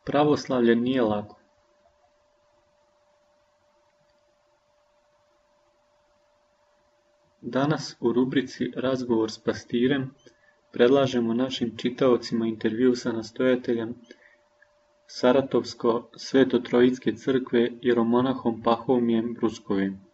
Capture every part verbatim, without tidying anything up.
Pravoslavlje nije lako. Danas u rubrici Razgovor s pastirem predlažemo našim čitaocima intervju sa nastojateljem Saratovsko-Svetotrojitske crkve jeromonahom Pahomиjem Bruskovim.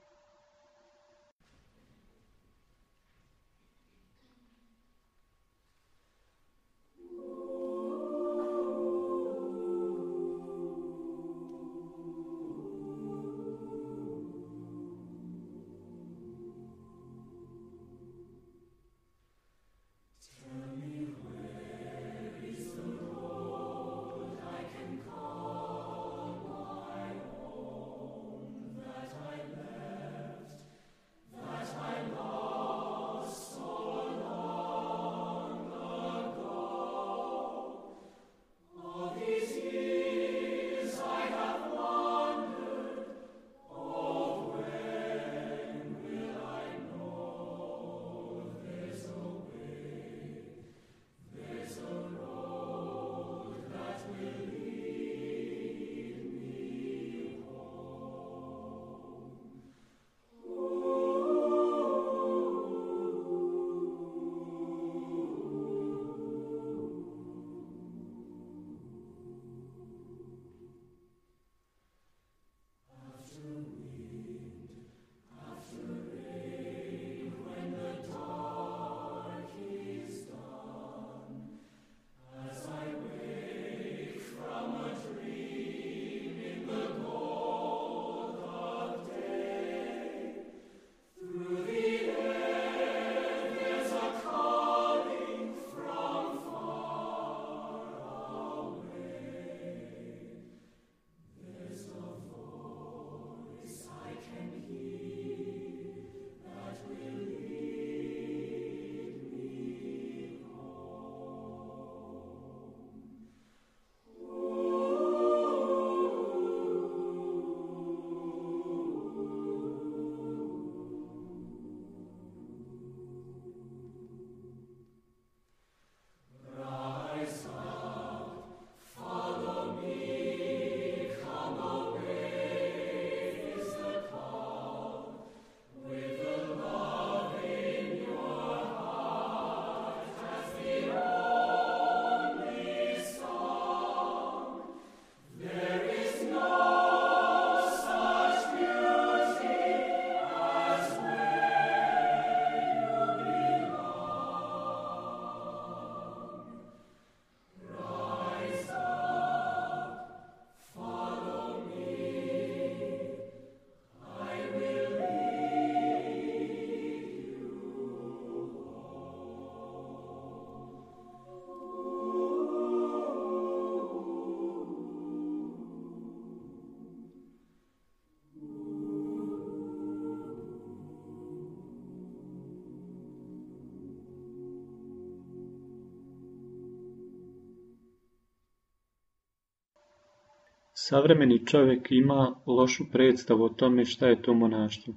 Savremeni čovjek ima lošu predstavu o tome šta je to monaštvo.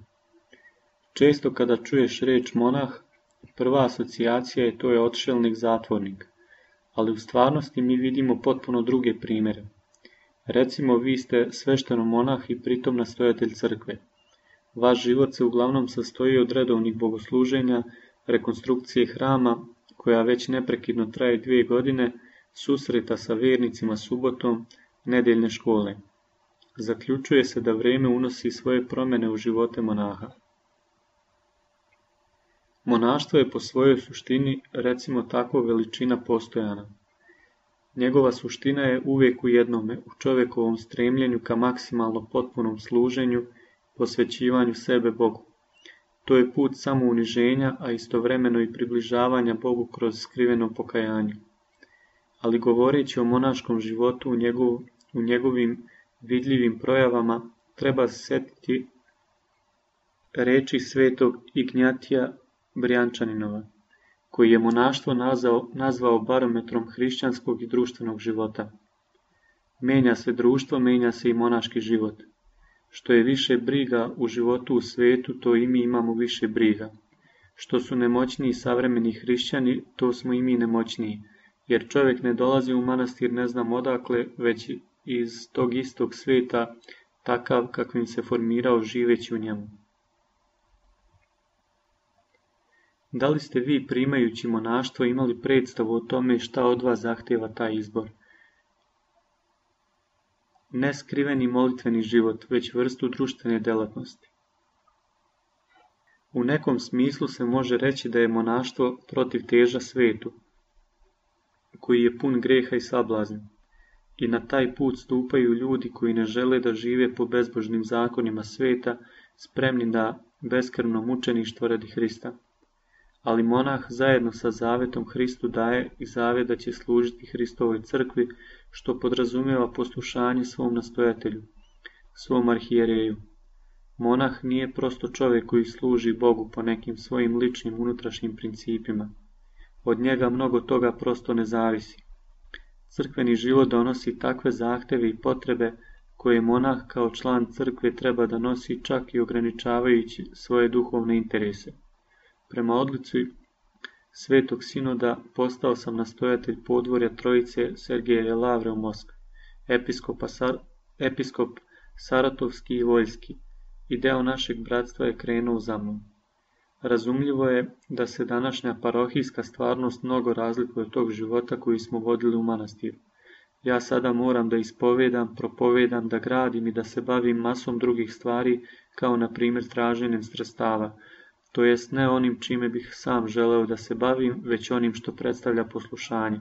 Često kada čuješ riječ monah, prva asocijacija je to je odšelnik, zatvornik, ali u stvarnosti mi vidimo potpuno druge primjere. Recimo, vi ste svešteno monah i pritom nastojatelj crkve. Vaš život se uglavnom sastoji od redovnih bogosluženja, rekonstrukcije hrama, koja već neprekidno traje dvije godine, susreta sa vjernicima subotom, nedeljne škole. Zaključuje se da vrijeme unosi svoje promjene u živote monaha. Monaštvo je po svojoj suštini, recimo tako, veličina postojana. Njegova suština je uvijek u jednome, u čovjekovom stremljenju ka maksimalno potpunom služenju, posvećivanju sebe Bogu. To je put samouniženja, a istovremeno i približavanja Bogu kroz skriveno pokajanje. Ali govoreći o monaškom životu u, njegov, u njegovim vidljivim projavama, treba se sjetiti reči svetog Ignjatija Brijančaninova, koji je monaštvo nazvao, nazvao barometrom hrišćanskog i društvenog života. Menja se društvo, menja se i monaški život. Što je više briga u životu u svetu, to i mi imamo više briga. Što su nemoćniji savremeni hrišćani, to smo i mi nemoćniji, jer čovjek ne dolazi u manastir ne znam odakle, već iz tog istog svijeta, takav kakvim se formirao živeći u njemu. Da li ste vi, primajući monaštvo, imali predstavu o tome šta od vas zahtjeva taj izbor? Ne skriveni molitveni život, već vrstu društvene djelatnosti. U nekom smislu se može reći da je monaštvo protiv teža svetu, koji je pun greha i sablazni, i na taj put stupaju ljudi koji ne žele da žive po bezbožnim zakonima sveta, spremni na beskrvno mučeništvo radi Hrista. Ali monah zajedno sa zavetom Hristu daje i zavet da će služiti Hristovoj crkvi, što podrazumijeva poslušanje svom nastojatelju, svom arhijereju. Monah nije prosto čovjek koji služi Bogu po nekim svojim ličnim unutrašnjim principima. Od njega mnogo toga prosto ne zavisi. Crkveni život donosi takve zahtjeve i potrebe koje monah kao član crkve treba da nosi, čak i ograničavajući svoje duhovne interese. Prema odluci Svetog sinoda postao sam nastojatelj podvorja Trojice Sergeja Lavre u Moskvi, episkopa Sar, episkop Saratovski i Voljski, i deo našeg bratstva je krenuo za mnom. Razumljivo je da se današnja parohijska stvarnost mnogo razlikuje od tog života koji smo vodili u manastiru. Ja sada moram da ispovedam, propovedam, da gradim i da se bavim masom drugih stvari, kao na primjer traženjem sredstava, to jest ne onim čime bih sam želeo da se bavim, već onim što predstavlja poslušanje.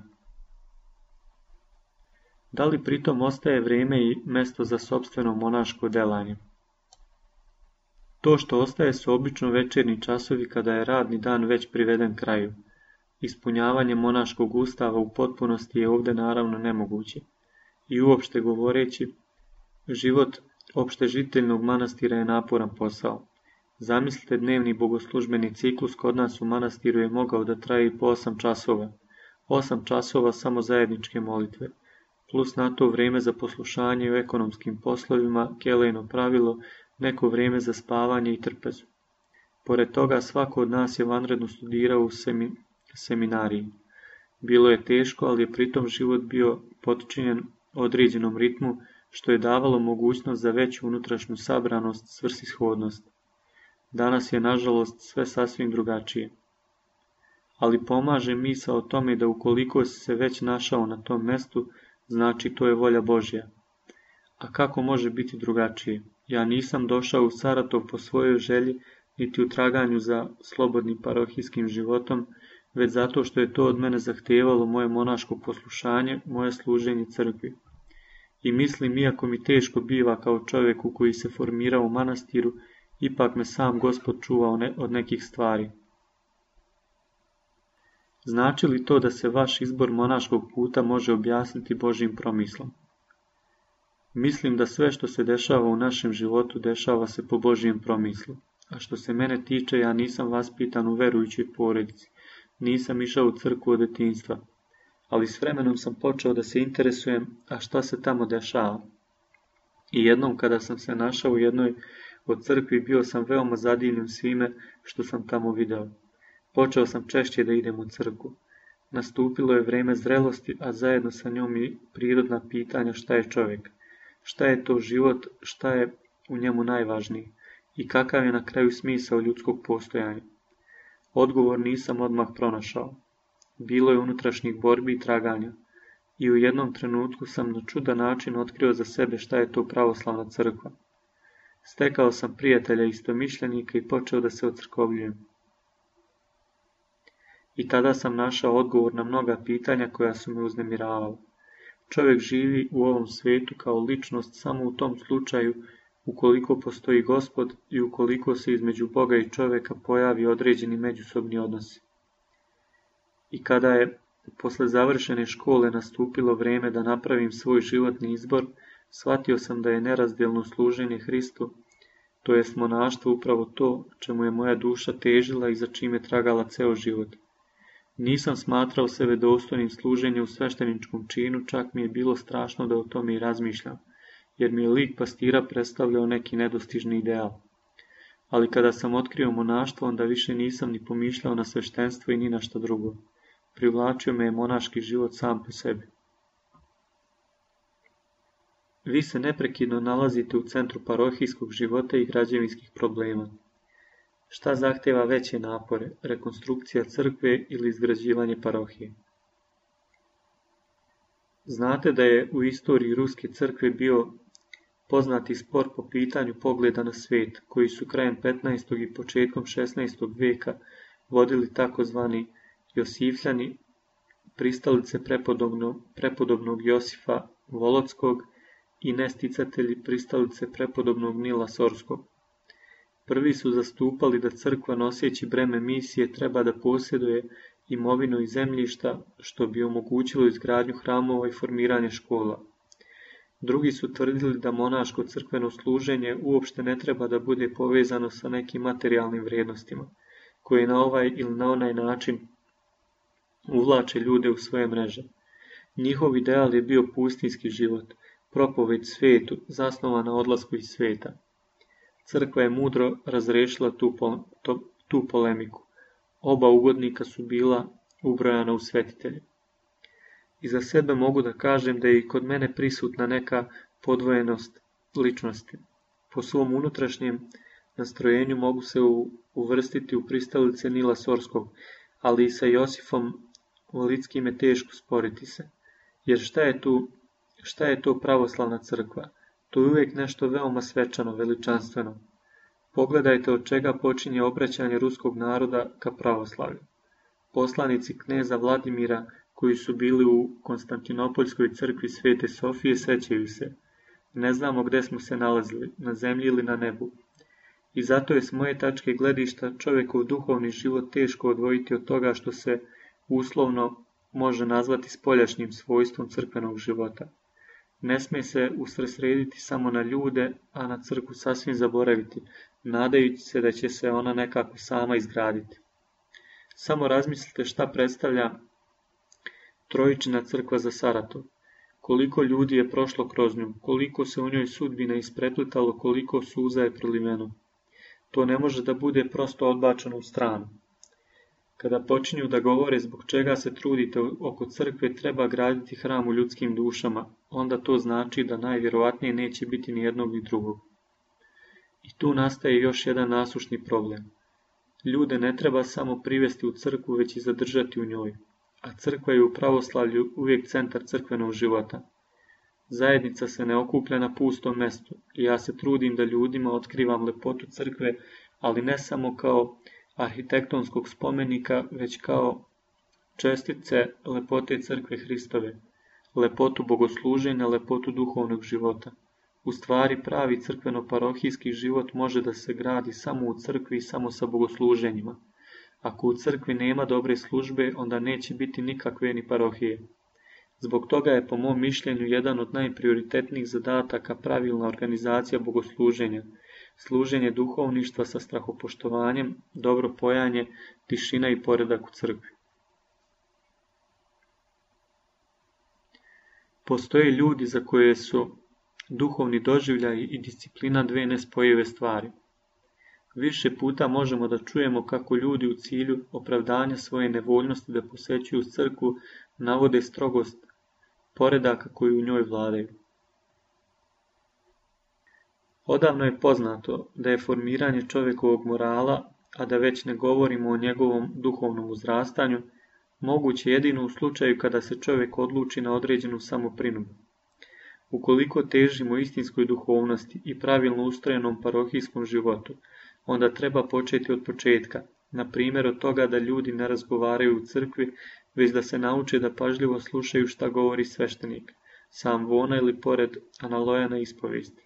Da li pritom ostaje vrijeme i mesto za sopstveno monaško delanje? To što ostaje su obično večernji časovi kada je radni dan već priveden kraju. Ispunjavanje monaškog ustava u potpunosti je ovdje naravno nemoguće. I uopšte govoreći, život opštežiteljnog manastira je naporan posao. Zamislite, dnevni bogoslužbeni ciklus kod nas u manastiru je mogao da traje i po osam časova. Osam časova samo zajedničke molitve, plus na to vrijeme za poslušanje u ekonomskim poslovima, kelejno pravilo, neko vrijeme za spavanje i trpezu. Pored toga, svako od nas je vanredno studirao u semi, seminariji. Bilo je teško, ali je pritom život bio potčinjen određenom ritmu, što je davalo mogućnost za veću unutrašnju sabranost, svrsishodnost. Danas je, nažalost, sve sasvim drugačije. Ali pomaže misao o tome da ukoliko si se već našao na tom mjestu, znači to je volja Božja. A kako može biti drugačije? Ja nisam došao u Saratov po svojoj želji, niti u traganju za slobodnim parohijskim životom, već zato što je to od mene zahtijevalo moje monaško poslušanje, moje služenje crkvi. I mislim, iako mi teško biva kao čovjeku koji se formira u manastiru, ipak me sam Gospod čuvao ne, od nekih stvari. Znači li to da se vaš izbor monaškog puta može objasniti Božjim promislom? Mislim da sve što se dešava u našem životu dešava se po Božjem promislu. A što se mene tiče, ja nisam vaspitan u verujućoj porodici. Nisam išao u crkvu od detinjstva. Ali s vremenom sam počeo da se interesujem, a šta se tamo dešava. I jednom kada sam se našao u jednoj od crkvi, bio sam veoma zadivljen svime što sam tamo video. Počeo sam češće da idem u crkvu. Nastupilo je vrijeme zrelosti, a zajedno sa njom i prirodna pitanja šta je čovjek. Šta je to život, šta je u njemu najvažniji i kakav je na kraju smisao ljudskog postojanja. Odgovor nisam odmah pronašao. Bilo je unutrašnjih borbi i traganja i u jednom trenutku sam na čudan način otkrio za sebe šta je to pravoslavna crkva. Stekao sam prijatelja istomišljenika i počeo da se ocrkovljujem. I tada sam našao odgovor na mnoga pitanja koja su me uznemiravala. Čovjek živi u ovom svijetu kao ličnost samo u tom slučaju ukoliko postoji Gospod i ukoliko se između Boga i čovjeka pojavi određeni međusobni odnosi. I kada je posle završene škole nastupilo vrijeme da napravim svoj životni izbor, shvatio sam da je nerazdjelno služenje Hristu, to jest monaštvo, upravo to čemu je moja duša težila i za čime tragala ceo život. Nisam smatrao sebe dostojnim služenja u svešteničkom činu, čak mi je bilo strašno da o tome i razmišljam, jer mi je lik pastira predstavljao neki nedostižni ideal. Ali kada sam otkrio monaštvo, onda više nisam ni pomišljao na sveštenstvo i ni na šta drugo. privlačio me je monaški život sam po sebi. Vi se neprekidno nalazite u centru parohijskog života i građevinskih problema. Šta zahtjeva veće napore, rekonstrukcija crkve ili izgrađivanje parohije? Znate da je u istoriji Ruske crkve bio poznati spor po pitanju pogleda na svijet, koji su krajem petnaestog i početkom šesnaestog vijeka vodili takozvani Josifljani, pristalice prepodobnog, prepodobnog Josifa Volodskog i nesticatelji pristalice prepodobnog Nila Sorskog. Prvi su zastupali da crkva noseći breme misije treba da posjeduje imovinu i zemljišta, što bi omogućilo izgradnju hramova i formiranje škola. Drugi su tvrdili da monaško crkveno služenje uopšte ne treba da bude povezano sa nekim materijalnim vrijednostima, koje na ovaj ili na onaj način uvlače ljude u svoje mreže. Njihov ideal je bio pustinski život, propoved svijetu, zasnovan na odlasku iz svijeta. Crkva je mudro razrešila tu, po, to, tu polemiku. Oba ugodnika su bila ubrojana u svetitelje. I za sebe mogu da kažem da je i kod mene prisutna neka podvojenost ličnosti. Po svom unutrašnjem nastrojenju mogu se u, uvrstiti u pristalice Nila Sorskog, ali i sa Josifom Volitskim je teško sporiti se. Jer šta je, tu, šta je to pravoslavna crkva? To je uvijek nešto veoma svečano, veličanstveno. Pogledajte od čega počinje obraćanje ruskog naroda ka pravoslavlju. Poslanici kneza Vladimira, koji su bili u Konstantinopoljskoj crkvi Svete Sofije, sećaju se. Ne znamo gde smo se nalazili, na zemlji ili na nebu. I zato je s moje tačke gledišta čovjekov duhovni život teško odvojiti od toga što se uslovno može nazvati spoljašnjim svojstvom crkvenog života. Ne smije se usredsrediti samo na ljude, a na crkvu sasvim zaboraviti, nadajući se da će se ona nekako sama izgraditi. Samo razmislite šta predstavlja Trojičina crkva za Saratov. Koliko ljudi je prošlo kroz nju, koliko se u njoj sudbina ispreplitalo, koliko suza je proliveno. To ne može da bude prosto odbačeno u stranu. Kada počinju da govore zbog čega se trudite oko crkve treba graditi hram u ljudskim dušama, onda to znači da najvjerovatnije neće biti ni jednog ni drugog. I tu nastaje još jedan nasušni problem. Ljude ne treba samo privesti u crkvu, već i zadržati u njoj, a crkva je u pravoslavlju uvijek centar crkvenog života. Zajednica se ne okuplja na pustom mestu i ja se trudim da ljudima otkrivam lepotu crkve, ali ne samo kao arhitektonskog spomenika, već kao čestice lepote crkve Hristove, lepotu bogosluženja, lepotu duhovnog života. U stvari pravi crkveno-parohijski život može da se gradi samo u crkvi i samo sa bogosluženjima. Ako u crkvi nema dobre službe, onda neće biti nikakve ni parohije. Zbog toga je po mom mišljenju jedan od najprioritetnijih zadataka pravilna organizacija bogosluženja, služenje duhovništva sa strahopoštovanjem, dobro pojanje, tišina i poredak u crkvi. Postoje ljudi za koje su duhovni doživljaj i disciplina dve nespojive stvari. Više puta možemo da čujemo kako ljudi u cilju opravdanja svoje nevoljnosti da posećuju crkvu navode strogost poredaka koji u njoj vladaju. Odavno je poznato da je formiranje čovjekovog morala, a da već ne govorimo o njegovom duhovnom uzrastanju, moguće jedino u slučaju kada se čovjek odluči na određenu samoprinudu. Ukoliko težimo istinskoj duhovnosti i pravilno ustrojenom parohijskom životu, onda treba početi od početka, na primjer od toga da ljudi ne razgovaraju u crkvi, već da se nauče da pažljivo slušaju šta govori sveštenik, sam vona ili pored analoja na ispovesti.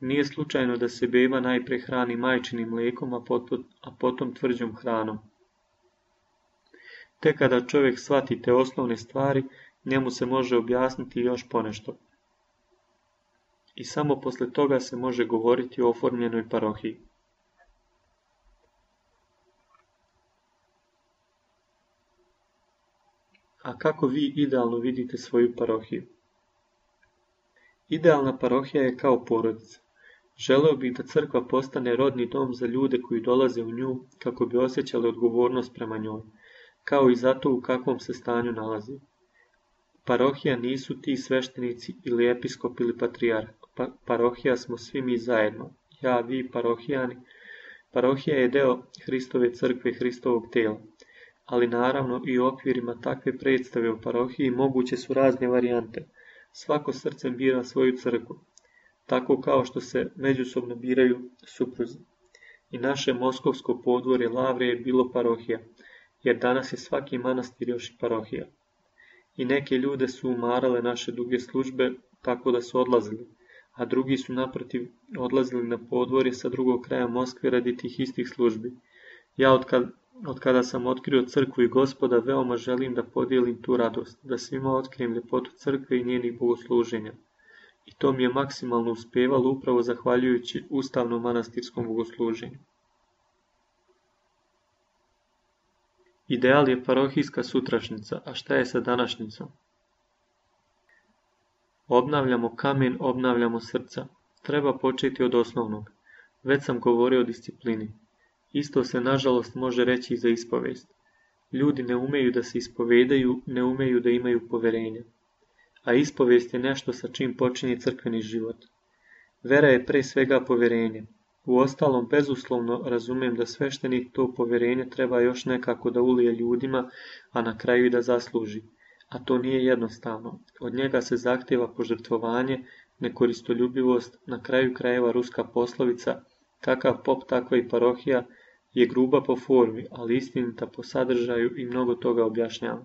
Nije slučajno da se beba najpre hrani majčinim mlijekom, a potom, a potom tvrđom hranom. Tek kada čovjek shvati te osnovne stvari, njemu se može objasniti još ponešto. I samo posle toga se može govoriti o oformljenoj parohiji. A kako vi idealno vidite svoju parohiju? Idealna parohija je kao porodica. Želeo bih da crkva postane rodni dom za ljude koji dolaze u nju kako bi osjećali odgovornost prema njoj. kao i zato u kakvom se stanju nalazi. Parohija nisu ti sveštenici ili episkop ili patrijarh. Pa, parohija smo svi mi zajedno. Ja, vi, parohijani. Parohija je deo Hristove crkve, Hristovog tela. Ali naravno i u okvirima takve predstave o parohiji moguće su razne varijante. Svako srcem bira svoju crkvu, tako kao što se međusobno biraju supruzi. I naše moskovsko podvorje Lavre je bilo parohija, jer danas je svaki manastir još i parohija. I neke ljude su umarale naše duge službe, tako da su odlazili, a drugi su naprotiv odlazili na podvorje sa drugog kraja Moskve radi tih istih službi. Ja otkad, od kada sam otkrio crkvu i Gospoda, veoma želim da podijelim tu radost, da svima otkrijem ljepotu crkve i njenih bogosluženja. I to mi je maksimalno uspevalo upravo zahvaljujući ustavnom manastirskom bogosluženju. Ideal je parohijska sutrašnjica, a šta je sa današnjicom? Obnavljamo kamen, obnavljamo srca. Treba početi od osnovnog. Već sam govorio o disciplini. Isto se nažalost može reći i za ispovest. Ljudi ne umeju da se ispovedaju, ne umeju da imaju poverenja. A ispovest je nešto sa čim počinje crkveni život. Vera je pre svega poverenje. Uostalom, bezuslovno razumem da sveštenik to poverenje treba još nekako da ulije ljudima, a na kraju i da zasluži. A to nije jednostavno. Od njega se zahtjeva požrtvovanje, nekoristoljubivost, na kraju krajeva ruska poslovica, kakav pop takva i parohija, je gruba po formi, ali istinita po sadržaju i mnogo toga objašnjava.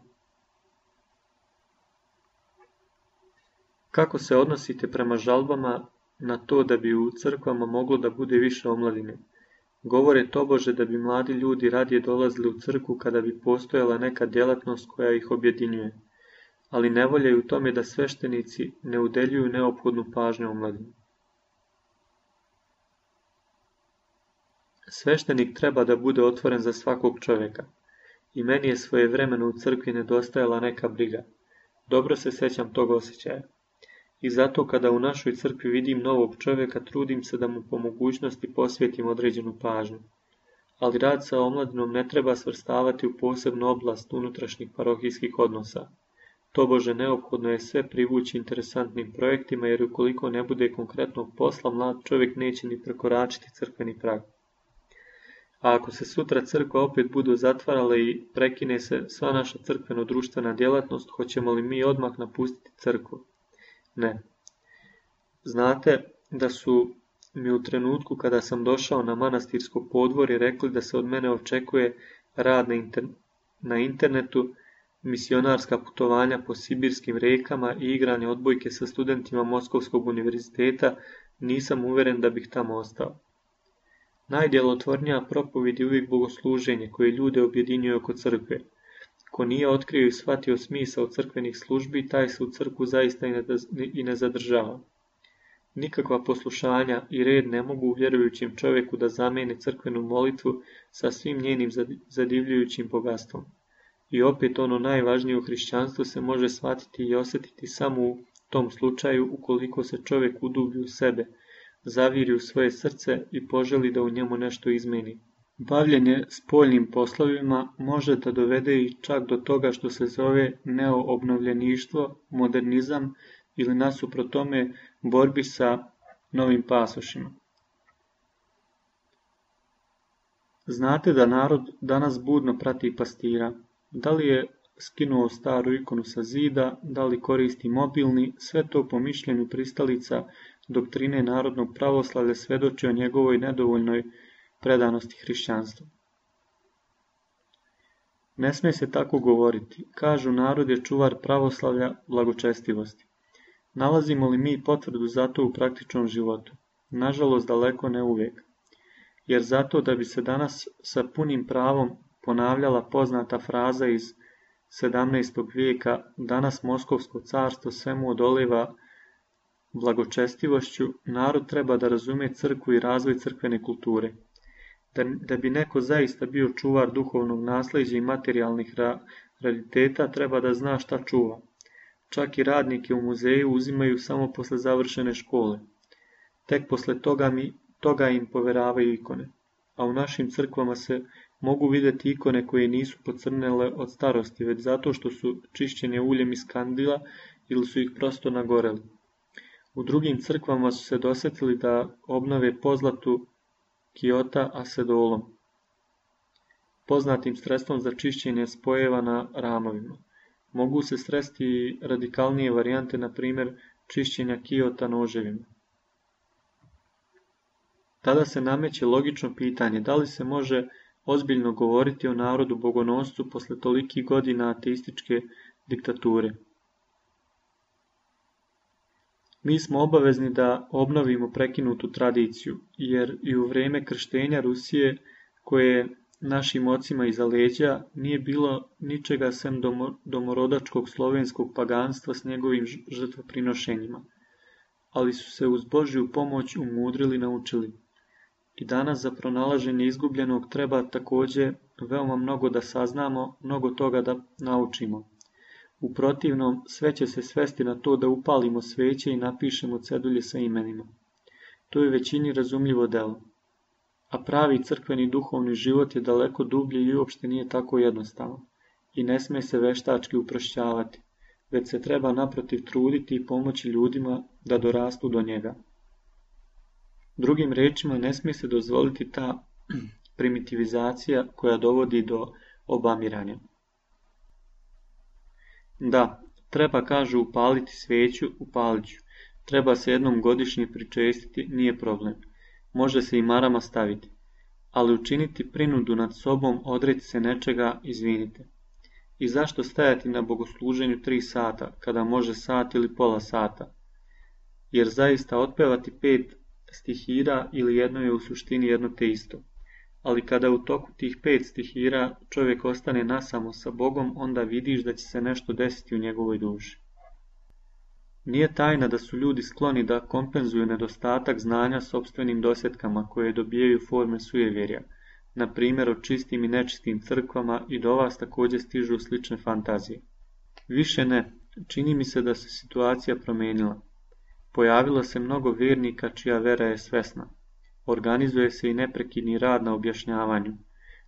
Kako se odnosite prema žalbama na to da bi u crkvama moglo da bude više omladine? Govore tobože da bi mladi ljudi radije dolazili u crkvu kada bi postojala neka djelatnost koja ih objedinjuje, ali ne voljaju u tome da sveštenici ne udeljuju neophodnu pažnju omladini. Sveštenik treba da bude otvoren za svakog čovjeka. I meni je svojevremeno u crkvi nedostajala neka briga. Dobro se sećam tog osjećaja. I zato kada u našoj crkvi vidim novog čovjeka, trudim se da mu po mogućnosti posvetim određenu pažnju. Ali rad sa omladinom ne treba svrstavati u posebnu oblast unutrašnjih parohijskih odnosa. Tobože neophodno je sve privući interesantnim projektima, jer ukoliko ne bude konkretnog posla, mlad čovjek neće ni prekoračiti crkveni prag. A ako se sutra crkva opet budu zatvarala i prekine se sva naša crkveno-društvena djelatnost, hoćemo li mi odmah napustiti crkvu? Ne. Znate da su mi u trenutku kada sam došao na manastirsko podvorje rekli da se od mene očekuje rad na, inter... na internetu, misionarska putovanja po sibirskim rekama i igranje odbojke sa studentima Moskovskog univerziteta, nisam uveren da bih tamo ostao. Najdjelotvornija propovijed je uvijek bogosluženje koje ljude objedinjuje oko crkve. Ko nije otkrio i shvatio smisao crkvenih službi, taj se u crkvu zaista i ne zadržava. Nikakva poslušanja i red ne mogu vjerujućim čovjeku da zamijene crkvenu molitvu sa svim njenim zadivljujućim bogatstvom. I opet ono najvažnije u hrišćanstvu se može shvatiti i osjetiti samo u tom slučaju ukoliko se čovjek udubi u sebe, zaviri u svoje srce i poželi da u njemu nešto izmeni. Bavljenje spoljnim poslovima može da dovede i čak do toga što se zove neoobnovljeništvo, modernizam ili nasuprot tome borbi sa novim pasošima. Znate da narod danas budno prati pastira. Da li je skinuo staru ikonu sa zida, da li koristi mobilni, sve to po mišljenju pristalica doktrine narodnog pravoslavlja svedoči o njegovoj nedovoljnoj predanosti hrišćanstvu. Ne smije se tako govoriti. Kažu, narod je čuvar pravoslavlja blagočestivosti. Nalazimo li mi potvrdu za to u praktičnom životu? Nažalost, daleko ne uvijek. Jer zato da bi se danas sa punim pravom ponavljala poznata fraza iz sedamnaestog vijeka, danas Moskovsko carstvo svemu odoliva blagočestivošću, narod treba da razume crkvu i razvoj crkvene kulture. Da, da bi neko zaista bio čuvar duhovnog nasljeđa i materijalnih ra, rariteta, treba da zna šta čuva. Čak i radnike u muzeju uzimaju samo posle završene škole. Tek posle toga, mi, toga im poveravaju ikone. A u našim crkvama se Mogu vidjeti ikone koje nisu pocrnele od starosti, već zato što su čišćene uljem iz kandila ili su ih prosto nagoreli. U drugim crkvama su se dosjetili da obnove pozlatu kiota asedolom, poznatim sredstvom za čišćenje spojeva na ramovima. Mogu se sresti i radikalnije varijante, na primjer čišćenja kiota noževima. Tada se nameće logično pitanje da li se može ozbiljno govoriti o narodu bogonoscu posle tolikih godina ateističke diktature. Mi smo obavezni da obnovimo prekinutu tradiciju, jer i u vrijeme krštenja Rusije, koje našim ocima iza leđa, nije bilo ničega sem domorodačkog slovenskog paganstva s njegovim žrtvoprinošenjima, ali su se uz Božju pomoć umudrili naučili. I danas za pronalaženje izgubljenog treba također veoma mnogo da saznamo, mnogo toga da naučimo. U protivnom, sve će se svesti na to da upalimo sveće i napišemo cedulje sa imenima. To je većini razumljivo delo. A pravi crkveni duhovni život je daleko dublji i uopšte nije tako jednostavan. I ne sme se veštački uprošćavati, već se treba naprotiv truditi i pomoći ljudima da dorastu do njega. Drugim rečima, ne smije se dozvoliti ta primitivizacija koja dovodi do obamiranja. Da, treba, kažu, upaliti sveću, upalit ću. Treba se jednom godišnje pričestiti, nije problem. Može se i marama staviti. Ali učiniti prinudu nad sobom, odreći se nečega, izvinite. I zašto stajati na bogosluženju tri sata, kada može sat ili pola sata? Jer zaista otpevati pet stihira ili jedno je u suštini jedno te isto. Ali kada u toku tih pet stihira čovjek ostane nasamo sa Bogom, onda vidiš da će se nešto desiti u njegovoj duši. Nije tajna da su ljudi skloni da kompenzuju nedostatak znanja sopstvenim dosjetkama koje dobijaju forme sujevjerja, na primjer o čistim i nečistim crkvama, i do vas također stižu slične fantazije. Više ne, čini mi se da se situacija promijenila. Pojavilo se mnogo vjernika čija vera je svesna. Organizuje se i neprekidni rad na objašnjavanju.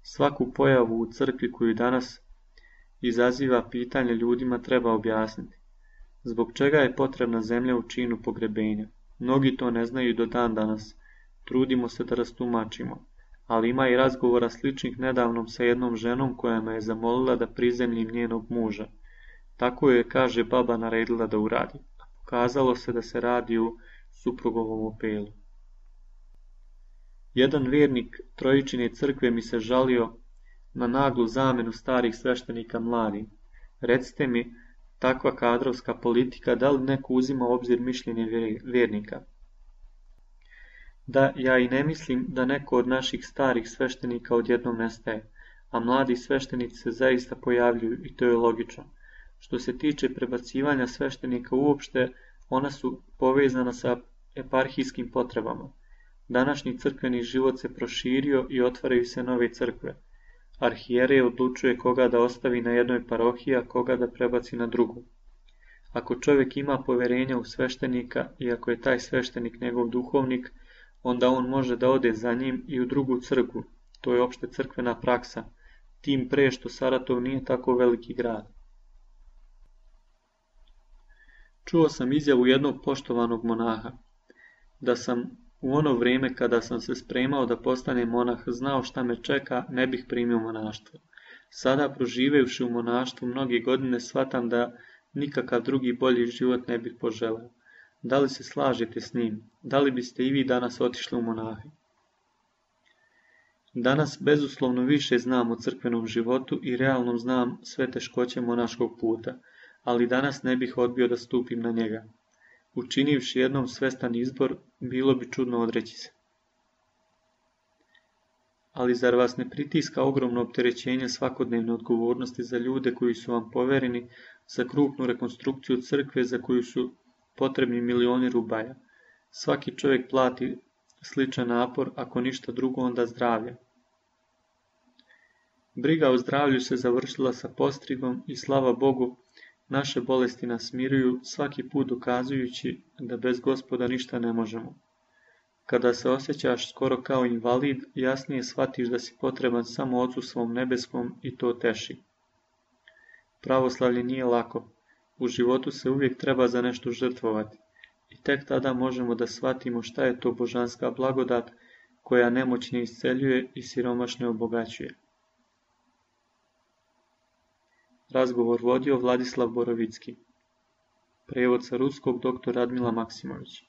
Svaku pojavu u crkvi koju danas izaziva pitanje ljudima treba objasniti. Zbog čega je potrebna zemlja u činu pogrebenja? Mnogi to ne znaju do dan danas. Trudimo se da rastumačimo. Ali ima i razgovora sličnih nedavnom sa jednom ženom koja me je zamolila da prizemljim njenog muža. Tako je, kaže, baba naredila da uradi. A pokazalo se da se radi u suprugovom opelu. Jedan vjernik Trojičine crkve mi se žalio na naglu zamenu starih sveštenika mladim. Recite mi, takva kadrovska politika, da li neko uzima u obzir mišljenje vjernika? Da, ja i ne mislim da neko od naših starih sveštenika odjednom nestaje, a mladi sveštenici se zaista pojavljuju i to je logično. Što se tiče prebacivanja sveštenika uopšte, ona su povezana sa eparhijskim potrebama. Današnji crkveni život se proširio i otvaraju se nove crkve. Arhijerej odlučuje koga da ostavi na jednoj parohiji, a koga da prebaci na drugu. Ako čovjek ima poverenja u sveštenika i ako je taj sveštenik njegov duhovnik, onda on može da ode za njim i u drugu crkvu. To je opšte crkvena praksa, tim pre što Saratov nije tako veliki grad. Čuo sam izjavu jednog poštovanog monaha, da sam u ono vrijeme kada sam se spremao da postanem monah znao šta me čeka, ne bih primio monaštvo. Sada, proživevši u monaštvu mnoge godine, shvatam da nikakav drugi bolji život ne bih poželeo. Da li se slažete s njim? Da li biste i vi danas otišli u monahe? Danas bezuslovno više znam o crkvenom životu i realno znam sve teškoće monaškog puta, ali danas ne bih odbio da stupim na njega. Učinivši jednom svestan izbor, bilo bi čudno odreći se. Ali zar vas ne pritiska ogromno opterećenje svakodnevne odgovornosti za ljude koji su vam povereni, za krupnu rekonstrukciju crkve za koju su potrebni milioni rubaja? Svaki čovjek plati sličan napor, ako ništa drugo onda zdravlje. Briga o zdravlju se završila sa postrigom i slava Bogu, naše bolesti nas smiruju, svaki put dokazujući da bez Gospoda ništa ne možemo. Kada se osjećaš skoro kao invalid, jasnije shvatiš da si potreban samo Ocu svom nebeskom i to teši. Pravoslavlje nije lako. U životu se uvijek treba za nešto žrtvovati. I tek tada možemo da shvatimo šta je to božanska blagodat koja nemoćne isceljuje i siromašne obogaćuje. Razgovor vodio Vladislav Borovicki. Prevod sa ruskog dr. Radmila Maksimović.